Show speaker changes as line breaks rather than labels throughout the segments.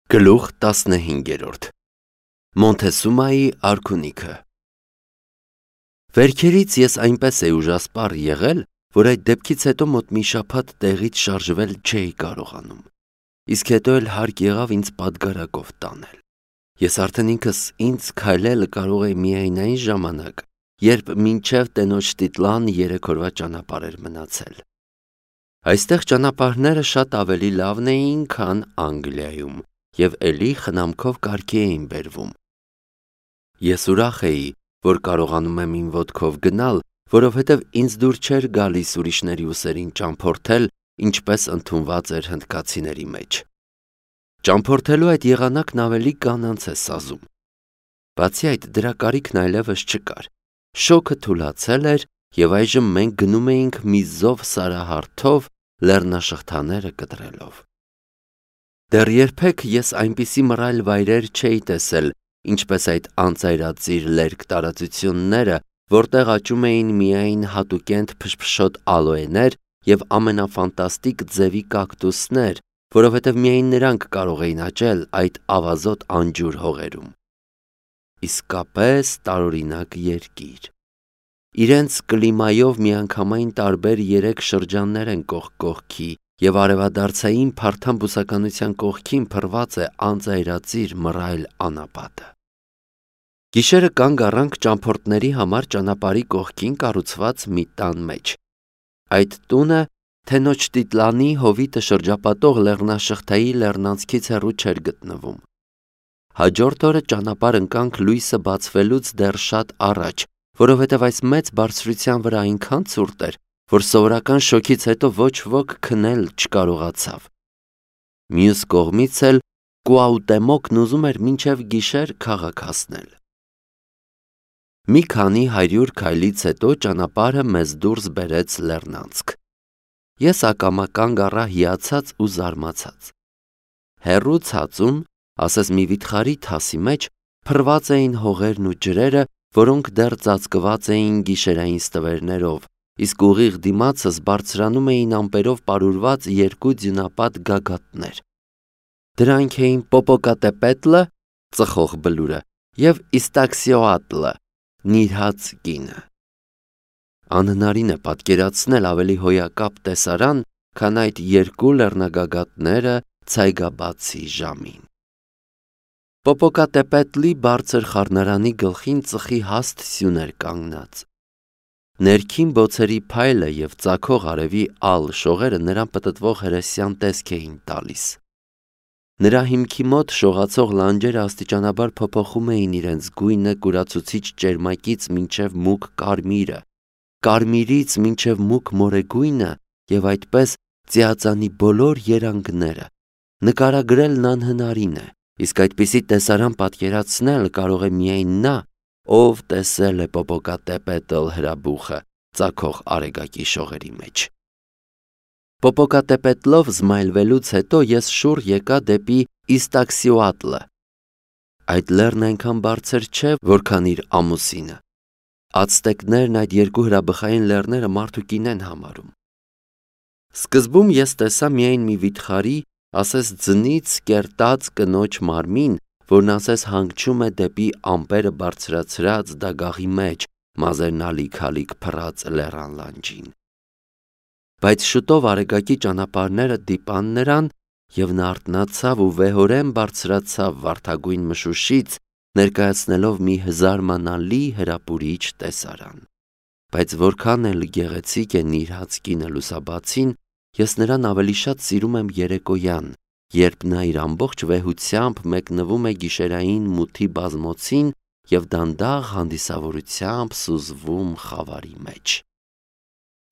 Գլուխ 15 Մոնթեսումայի արքունիքը Վերքերից ես այնպես էի ուժասպառ եղել, որ այդ դեպքից հետո մոտ մի շաբաթ տեղից շարժվել չէի կարողանում, իսկ հետո էլ հարկ եղավ ինձ պատգարակով տանել։ Ես արդեն ինքս ինձ քայլել կարող էի միայն այն ժամանակ, երբ մինչև տենոջ տիտլան 3 օրվա ճանապարհ էր մնացել։ Այստեղ ճանապարհները շատ ավելի լավն էին, քան Անգլիայում, և էլի խնամքով կարգի էին բերվում։ Ես ուրախ էի, որ կարողանում եմ իմ ոտքով գնալ, որովհետև ինձ դուր չէր գալիս ուրիշների ուսերին ճամփորդել, ինչպես ընդունված էր հնդկացիների մեջ։ Ճամփորդելու այդ եղանակն ավելի կանանց է սազում։ Բացի այդ, դրա կարիքն այլևս չկար։ Շոգը թուլացել էր, և այժմ մենք գնում էինք մի զով սարահարթով, լեռնաշղթաները կտրելով։ Դեռ երբեք ես այնպիսի մռայլ վայրեր չէի տեսել, ինչպես այդ անծայրածիր լերկ տարածությունները, որտեղ աճում էին միայն հատուկենտ փշփշոտ ալոեներ և ամենաֆանտաստիկ ձևի կակտուսներ, որովհետև միայն նրանք կարող էին աճել այդ ավազոտ անջուր հողերում։ Իսկապես տարօրինակ երկիր։ Իրենց կլիմայով միանգամայն տարբեր 3 շրջաններ են կողք կողքի, և արևադարձային փարթամ բուսականության կողքին փռված է անծայրածիր մռայլ անապատը։ Գիշերը կանգ առանք ճամփորդների համար ճանապարհի կողքին կառուցված մի տան մեջ։ Այդ տունը Թենոչտիտլանի հովիտը շրջապատող լեռնաշղթայի լեռնանցքից հեռու չէր գտնվում։ Հաջորդ օրը ճանապարհ ընկանք լույսը բացվելուց դեռ շատ առաջ, որովհետև այս մեծ բարձրության վրա այնքան ցուրտ էր, որ սովորական շոգից հետո ոչ ոք քնել չկարողացավ։ Մյուս կողմից էլ Կուաուտեմոկն ուզում էր մինչև գիշեր քաղաք հասնել։ Մի քանի 100 քայլից հետո ճանապարհը մեզ դուրս բերեց լեռնանցք։ Ես ակամա կանգ առա հիացած ու զարմացած։ Հեռու ցածում, ասես մի վիթխարի թասի մեջ, փռված էին հողերն ու ջրերը, որոնք դեռ ծածկված էին գիշերային ստվերներով, իսկ ուղիղ դիմացս բարձրանում էին ամպերով պարուրված 2 ձյունապատ գագաթներ։ Դրանք էին Պոպոկատեպետլը, ծխող բլուրը, և Իստաքսիոատլը, նիրհած կինը։ Անհնարին է պատկերացնել ավելի հոյակապ տեսարան, քան այդ 2 լեռնագագաթները ցայգաբացի ժամին։ Պոպոկատեպետլի բարձր խառնարանի գլխին ծխի հաստ սյուն էր կանգնած։ Ներքին բոցերի փայլը և ծագող արևի ալ շողերը նրան պտտվող հրեսյան տեսք էին տալիս։ Նրա հիմքի մոտ շողացող լանջերը աստիճանաբար փոփոխում էին իրենց գույնը կուրացուցիչ ճերմակից մինչև մուգ կարմիրը, կարմիրից մինչև մուգ մորեգույնը և այդպես ծիածանի բոլոր երանգները։ Նկարագրելն անհնարին է, իսկ այդպիսի տեսարան պատկերացնել կարող է միայն նա, ով տեսել է Պոպոկատեպետլ հրաբուխը ծագող արեգակի շողերի մեջ։ Պոպոկատեպետլով զմայլվելուց հետո ես շուռ եկա դեպի Իստաքսիոատլը։ Այդ լեռն այնքան բարձր չէ, որքան իր ամուսինը։ Ացտեկներն այդ 2 հրաբխային լեռները մարդուկին են համարում։ Սկզբում ես տեսա միայն մի վիթխարի, ասես ձնից կերտած կնոջ մարմին, որն ասես հանգչում է դեպի ամպերը բարձրացրած դագաղի մեջ, մազերն ալիք-ալիք փռած լեռան լանջին։ Բայց շուտով արեգակի ճանապարհները դիպան նրան, և նա արթնացավ ու վեհորեն բարձրացավ վարդագույն մշուշից, ներկայացնելով մի զարմանալի հրապուրիչ տեսարան։ Բայց որքան էլ գեղեցիկ է նիրհած կինը լուսաբացին, ես նրան ավելի շատ սիրում եմ երեկոյան, երբ նա իր ամբողջ վեհությամբ մեկնվում է գիշերային մութի բազմոցին և դանդաղ հանդիսավորությամբ սուզվում խավարի մեջ։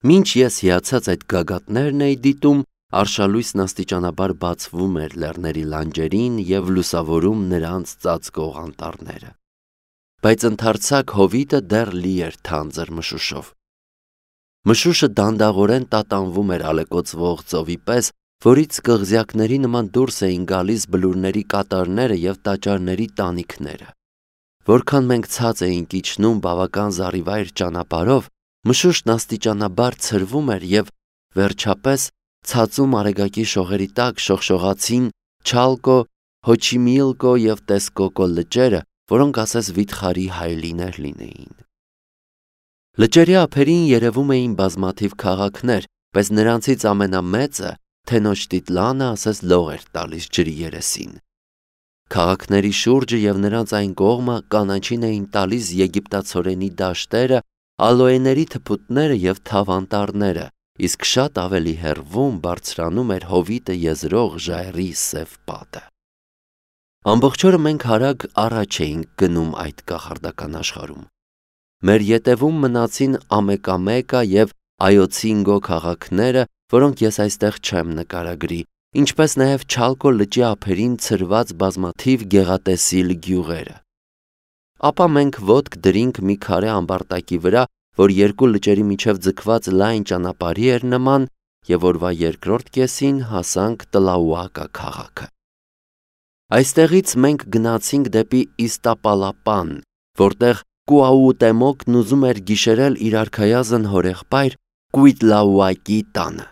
Մինչ ես հիացած այդ գագաթներն էի դիտում, արշալույսն աստիճանաբար բացվում էր լեռների լանջերին և լուսավորում նրանց ծածկող անտառները։ Բայց ընդարձակ հովիտը դեռ լի էր թանձր մշուշով։ Մշուշը դանդաղորեն տատանվում էր ալեկոծվող ծովի պես, որից կղզյակների նման դուրս էին գալիս բլուրների կատարները և տաճարների տանիքները։ Որքան մենք ցած էինք իջնում բավական զառիվայր ճանապարհով, մշուշն աստիճանաբար ցրվում էր և, վերջապես, ցածում արեգակի շողերի տակ շողշողացին Չալկո Հոչիմիլկո և Տեսկոկո լճերը, որոնք ասես վիթխարի հայելիներ լինեին։ Լճերի ափերին երևում էին բազմաթիվ քաղաքներ, բայց նրանցից ամենամեծը Թենոշտիտլանը ասես լող էր տալիս ջրի երեսին։ Քաղաքների շուրջը և նրանց այն կողմը կանաչին էին տալիս եգիպտացորենի դաշտերը, ալոեների թփուտները և թավանտառները, իսկ շատ ավելի հեռվում բարձրանում էր հովիտը եզրող ժայռի սև պատը։ Ամբողջ օրը մենք արագ առաջ էինք գնում այդ կախարդական աշխարհում։ Մեր ետևում մնացին Ամեկամեկա և Այոցինգո քաղաքները, որոնք ես այստեղ չեմ նկարագրի, ինչպես նաև Չալկո լճի ափերին ցրված բազմաթիվ գեղատեսիլ գյուղերը։ Ապա մենք ոտք դրինք մի քարե ամբարտակի վրա, որ երկու լճերի միջև ձգված լայն ճանապարհի էր նման, և օրվա երկրորդ կեսին հասանք Տլաուակա քաղաքը։ Այստեղից մենք գնացինք դեպի Իստապալապան, որտեղ Կուաուտեմոկն ուզում էր գիշերել իր արքայազն հորեղբայր Կուիտլաուակի տանը։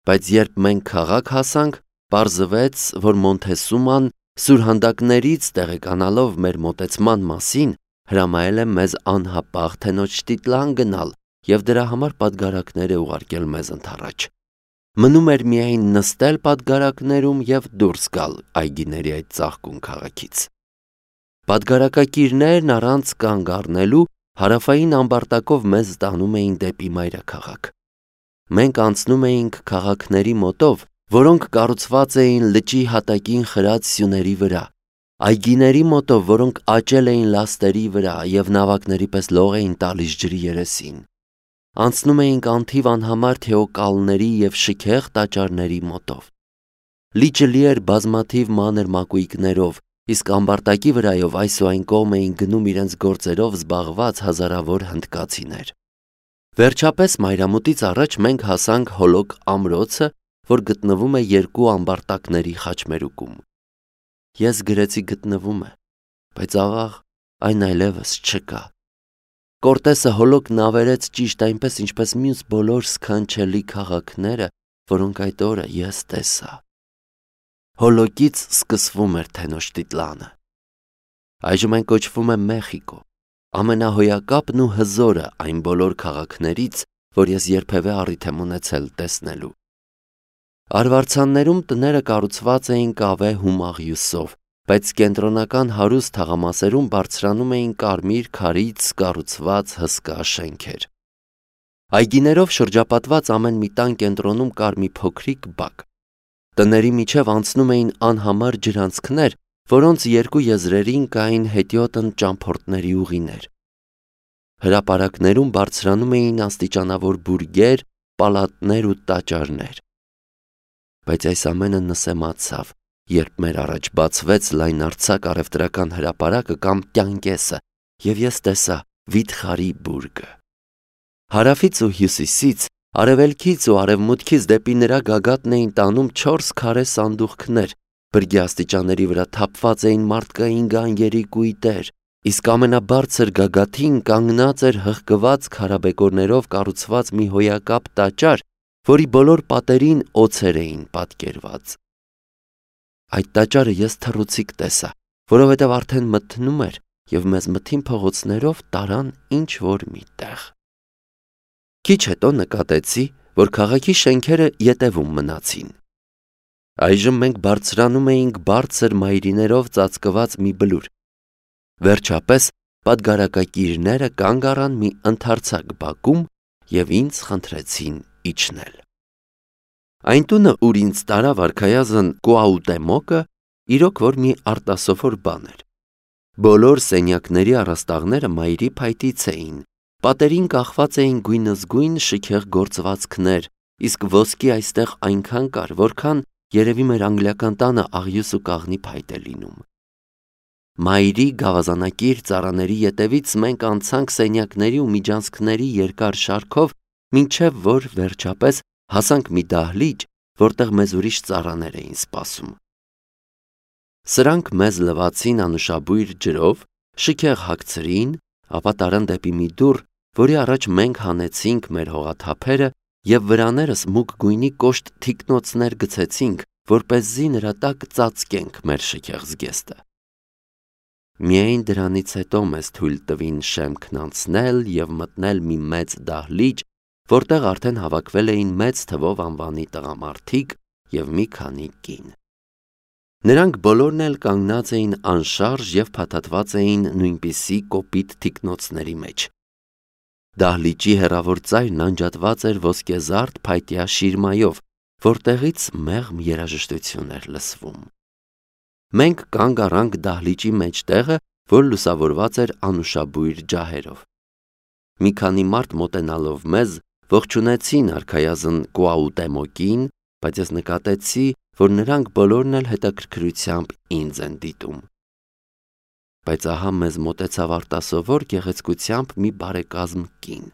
Բայց երբ մենք քաղաք հասանք, պարզվեց, որ Մոնթեսուման սուրհանդակներից տեղեկանալով մեր մոտեցման մասին, հրամայել է մեզ անհապաղ Թենոչտիտլան գնալ և դրա համար պատգարակներ է ուղարկել մեզ ընդառաջ։ Մնում էր միայն նստել պատգարակներում և դուրս գալ այգիների այդ ծաղկուն քաղաքից։ Պատգարակակիրներն առանց կանգ առնելու հարավային ամբարտակով մեզ տանում էին դեպի մայրաքաղաք։ Մենք անցնում էինք քաղաքների մոտով, որոնք կառուցված էին լճի հատակին խրած սյուների վրա, այգիների մոտով, որոնք աճել էին լաստերի վրա և նավակների պես լող էին տալիս ջրի երեսին։ Անցնում էինք անթիվ անհամար թեոկալների և շքեղ տաճարների մոտով։ Լիճը լի էր բազմաթիվ մանր մակույկներով, իսկ ամբարտակի վրայով այս ու այն կողմ էին գնում իրենց գործերով զբաղված հազարավոր հնդկացիներ։ Վերջապես մայրամուտից առաջ մենք հասանք Հոլոկ ամրոցը, որ գտնվում է երկու ամբարտակների խաչմերուկում։ Ես գրեցի գտնվում է, բայց աղաղ այն այլևս չկա։ Կորտեսը Հոլոկն ավերեց ճիշտ այնպես, ինչպես մյուս բոլոր սքանչելի քաղաքները, որոնք այդ օրը ես տեսա։ Հոլոկից սկսվում էր Թենոշտիտլանը։ Այժմ այն կոչվում է Մեխիկո, ամենահոյակապն ու հզորը այն բոլոր քաղաքներից, որ ես երբևէ առիթ եմ ունեցել տեսնելու։ Արվարձաններում տները կառուցված էին կավե հումաղյուսով, բայց կենտրոնական հարուստ թաղամասերում բարձրանում էին կարմիր քարից կառուցված հսկա շենքեր։ Այգիներով շրջապատված ամեն մի տան կենտրոնում կար մի փոքրիկ բակ։ Տների միջև անցնում էին անհամար ջրանցքներ, որոնց երկու եզրերին կային հետիոտն ճամփորդների ուղիներ։ Հրապարակներում բարձրանում էին աստիճանավոր բուրգեր, պալատներ ու տաճարներ։ Բայց այս ամենը նսեմացավ, երբ մեր առաջ բացվեց լայնարձակ առևտրական հրապարակը կամ կյանկեսը, և ես տեսա վիթխարի բուրգը։ Հարավից ու հյուսիսից, արևելքից ու արևմուտքից դեպի նրա գագաթն էին տանում 4 քարե սանդուղքներ, բրգի աստիճանների վրա թափված էին մարդկային գանգերի կույտեր, իսկ ամենաբարձր գագաթին կանգնած էր հղկված քարաբեկորներով կառուցված մի հոյակապ տաճար, որի բոլոր պատերին օձեր էին պատկերված։ Այդ տաճարը ես թռուցիկ տեսա, որովհետև արդեն մթնում էր և մեզ մթին փողոցներով տարան ինչ-որ մի տեղ։ Քիչ հետո նկատեցի, որ քաղաքի շենքերը ետևում մնացին։ Այժմ մենք բարձրանում էինք բարձր մայրիներով ծածկված մի բլուր։ Վերջապես պատգարակակիրները կանգ առան մի ընդարձակ բակում և ինձ խնդրեցին իջնել։ Այն տունը, ուր ինձ տարավ արքայազն Կուաուտեմոկը, իրոք որ մի արտասովոր բան էր։ Բոլոր սենյակների առաստաղները մայրի փայտից էին, պատերին կախված էին գույնզգույն շքեղ գործվածքներ, իսկ ոսկի այստեղ այնքան կար, որքան երևի մեր անգլիական տանը աղյուս ու կաղնի փայտ է լինում։ Մայրի գավազանակիր ծառաների ետևից մենք անցանք սենյակների ու միջանցքների երկար շարքով, մինչև որ վերջապես հասանք մի դահլիճ, որտեղ մեզ ուրիշ ծառաներ էին սպասում։ Սրանք մեզ լվացին անուշաբույր ջրով, շքեղ հագցրին, ապա տարան դեպի մի դուռ, որի առաջ մենք հանեցինք մեր հողաթափերը և վրաներս մուգ գույնի կոշտ թիկնոցներ գցեցինք, որպեսզի նրա տակ ծածկենք մեր շքեղ զգեստը։ Միայն դրանից հետո մեզ թույլ տվին շեմքն անցնել և մտնել մի մեծ դահլիճ, որտեղ արդեն հավաքվել էին մեծ թվով անվանի տղամարդիկ և մի քանի կին։ Նրանք բոլորն էլ կանգնած էին անշարժ և փաթաթված էին նույնպիսի կոպիտ թիկնոցների մեջ։ Դահլիճի հեռավոր ծայրն անջատված էր ոսկեզարդ փայտյա շիրմայով, որտեղից մեղմ երաժշտություն էր լսվում։ Մենք կանգ առանք դահլիճի մեջտեղը, որ լուսավորված էր անուշաբույր ջահերով։ Մի քանի մարդ մոտենալով մեզ ողջունեցին արքայազն Կուաուտեմոկին, բայց ես նկատեցի, որ նրանք բոլորն էլ հետաքրքրությամբ ինձ են դիտում։ Բայց ահա մեզ մոտեցավ արտասովոր գեղեցկությամբ մի բարեկազմ կին։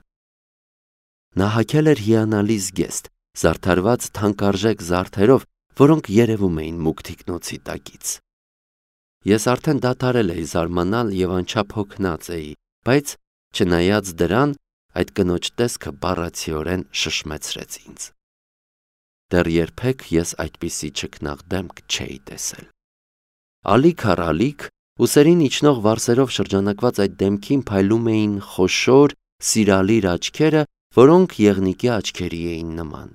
Նա հագել էր հիանալի զգեստ, զարդարված թանկարժեք զարդերով, որոնք երևում էին մուգ թիկնոցի տակից։ Ես արդեն դադարել էի զարմանալ և անչափ հոգնած էի, բայց չնայած դրան, այդ կնոջ տեսքը բառացիորեն շշմեցրեց ինձ։ Դեռ երբեք ես այդպիսի չքնաղ դեմք չէի տեսել։ Ալիք առ ալիք, ուսերին իջնող վարսերով շրջանակված այդ դեմքին փայլում էին խոշոր, սիրալիր աչքերը, որոնք եղնիկի աչքերի էին նման։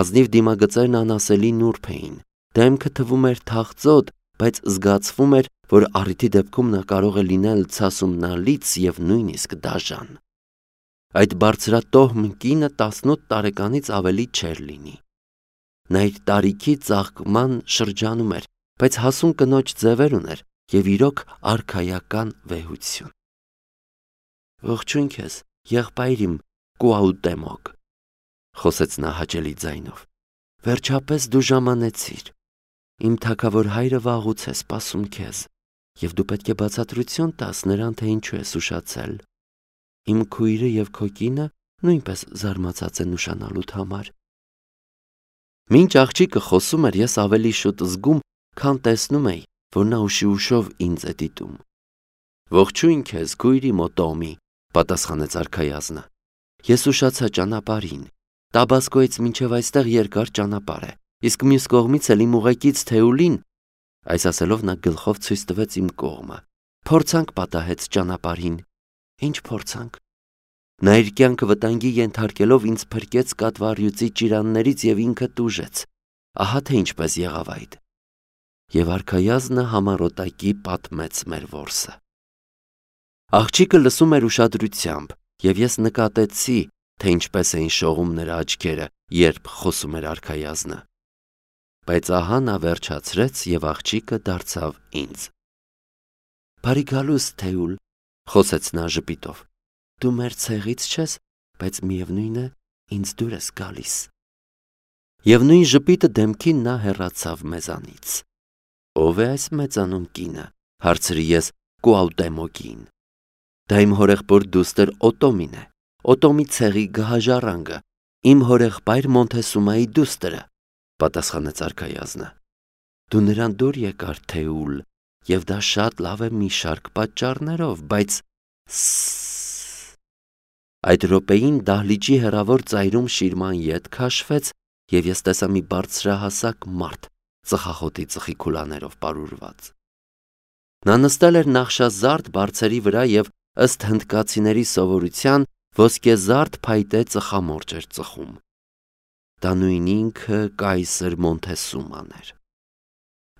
Ազնիվ դիմագծերն անասելի նուրբ էին, դեմքը թվում էր թախծոտ, բայց զգացվում էր, որ առիթի դեպքում նա կարող է լինել ցասումնալից և նույնիսկ դաժան։ Այդ բարձրատոհմ կինը 18 տարեկանից ավելի չէր լինի։ Նա իր տարիքի ծաղկման շրջանում էր, բայց հասուն կնոջ ձևեր ուներ և իրոք արքայական վեհություն։ «Ողջույն քեզ, եղբայր իմ Կուաուտեմոկ», խոսեց նա հաճելի ձայնով։ «Վերջապես դու ժամանեցիր։ Իմ թագավոր հայրը վաղուց է սպասում քեզ, և դու պետք է բացատրություն տաս նրան, թե ինչու ես ուշացել։ Իմ քույրը և քո կինը նույնպես զարմացած են ուշանալուդ համար»։ Մինչ աղջիկը խոսում էր, ես ավելի շուտ զգում, քան տեսնում էի, որ նա ուշիուշով ինձ է դիտում։ «Ողջույն քեզ, քույրի Մոտոմի», պատասխանեց արքայազնը։ «Ես ուշացա ճանապարհին։ Տաբասկոյից մինչև այստեղ երկար ճանապարհ է, իսկ մյուս կողմից էլ իմ ուղեկից Թեուլին», այս ասելով նա գլխով ցույց տվեց իմ կողմը, «փորձանք պատահեց ճանապարհին»։ «Ինչ փորձանք»։ Նա իր կյանքը վտանգի ենթարկելով ինձ փրկեց կատվառյուծի ճիրաններից և ինքը տուժեց։ Ահա թե ինչպես եղավ այդ։ Եվ արքայազնը համառոտակի պատմեց մեր որսը։ Աղջիկը լսում էր ուշադրությամբ, և ես նկատեցի, թե ինչպես էին շողում նրա աչքերը, երբ խոսում էր արքայազնը։ Բայց ահա նա վերջացրեց, և աղջիկը դարձավ ինձ։ «Բարի գալուստ, Թեուլ», խոսեց նա ժպիտով։ «Դու մեր ցեղից չես, բայց միևնույն է, ինձ դուր ես գալիս»։ Եվ նույն ժպիտը դեմքին նա հեռացավ մեզանից։ «Ո՞վ է այս մեծանուն կինը», հարցրի ես Կուաուտեմոկին։ «Դա իմ հորեղբոր դուստր Օտոմին է, Օտոմի ցեղի գահաժառանգը, իմ հորեղբայր Մոնթեսումայի դուստրը», պատասխանեց արքայազնը։ «Դու նրան դուր եկար, Թեուլ, և դա շատ լավ է մի շարք պատճառներով, բայց…» Այդ րոպեին դահլիճի հեռավոր ծայրում շիրման ետ քաշվեց, և ես տեսա մի բարձրահասակ մարդ ծխախոտի ծխիքուլաներով պարուրված։ Նա նստել էր նախշազարդ բարձերի վրա և ըստ հնդկացիների սովորության ոսկեզարդ փայտե ծխամորճ էր ծխում։ Դա նույն ինքը կայսր Մոնթեսուման էր։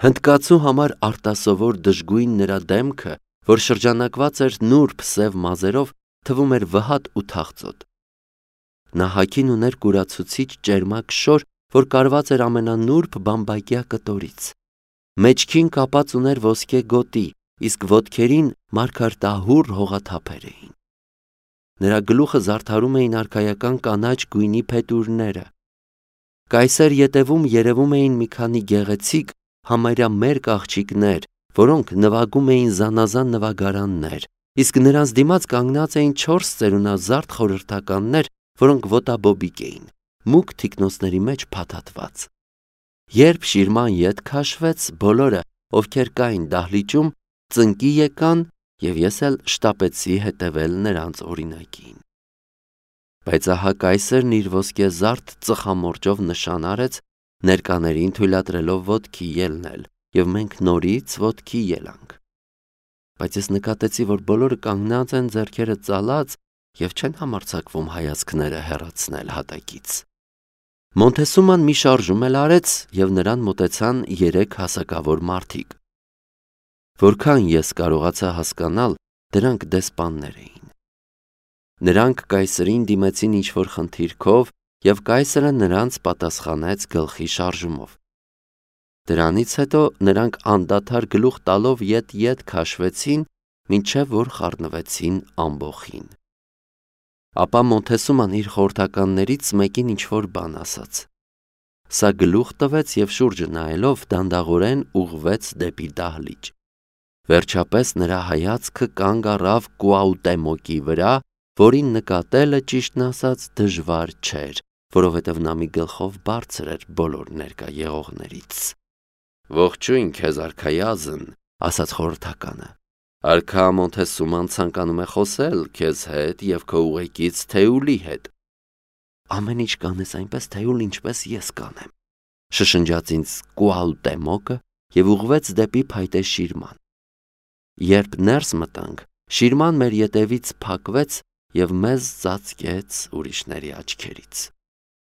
Հնդկացու համար արտասովոր դժգույն նրա դեմքը, որ շրջանակված էր նուրբ սև մազերով, թվում էր վհատ ու թախծոտ։ Նա հագին ուներ կուրացուցիչ ճերմակ շոր, որ կարված էր ամենանուրբ բամբակյա կտորից։ Մեջքին կապած ուներ ոսկե գոտի, իսկ ոտքերին մարգարտահուռ հողաթափեր էին։ Նրա գլուխը զարդարում էին արքայական կանաչ գույնի փետուրները։ Կայսեր ետևում երևում էին մի քանի գեղեցիկ, համարյա մերկ աղջիկներ, որոնք նվագում էին զանազան նվագարաններ, իսկ նրանց դիմաց կանգնած էին 4 ծերունազարդ խորհրդականներ, որոնք ոտաբոբիկ էին, մուգ թիկնոցների մեջ փաթաթված։ Երբ շիրման ետ քաշվեց, բոլորը, ովքեր կային դահլիճում, ծնկի եկան, և ես էլ շտապեցի հետևել նրանց օրինակին։ Բայց ահա կայսերն իր ոսկեզարդ ծխամորճով նշան արեց, ներկաներին թույլատրելով ոտքի ելնել, եւ մենք նորից ոտքի ելանք։ Բայց ես նկատեցի, որ բոլորը կանգնած են ձեռքերը ծալած եւ չեն համարձակվում հայացքները հեռացնել հատակից։ Մոնթեսուման մի շարժում էլ արեց եւ նրան մոտեցան 3 հասակավոր մարդիկ։ Որքան ես կարողացա հասկանալ, դրանք դեսպաններ էին։ Նրանք կայսրին դիմեցին ինչ-որ խնդիրքով եւ կայսրը նրանց պատասխանեց գլխի շարժումով։ Դրանից հետո նրանք անդադար գլուխ տալով ետ քաշվեցին, մինչև որ խառնվեցին ամբոխին։ Ապա Մոնթեսուման իր խորհրդականներից մեկին ինչ-որ բան ասաց։ Սա գլուխ տվեց եւ շուրջը նայելով դանդաղորեն ուղղվեց դեպի դահլիճ։ Վերջապես նրա հայացքը կանգ առավ Կուաուտեմոկի վրա, որին նկատելը ճիշտն ասած դժվար չէր, որովհետև նա մի գլխով բարձր էր բոլոր ներկա եղողներից։ «Ողջույն քեզ, արքայազն», ասաց խորհրդականը։ «Արքա Մոնթեսուման ցանկանում է խոսել քեզ հետ եւ քո ուղեկից Թեուլի հետ»։ «Ամեն ինչ կանես այնպես Թեուլ, ինչպես ես կանեմ», շշնջաց ինձ Կուաուտեմոկը եւ ուղղվեց դեպի փայտե շիրման։ Երբ ներս մտանք, շիրման մեր ետևից փակվեց եւ մեզ ծածկեց ուրիշների աչքերից։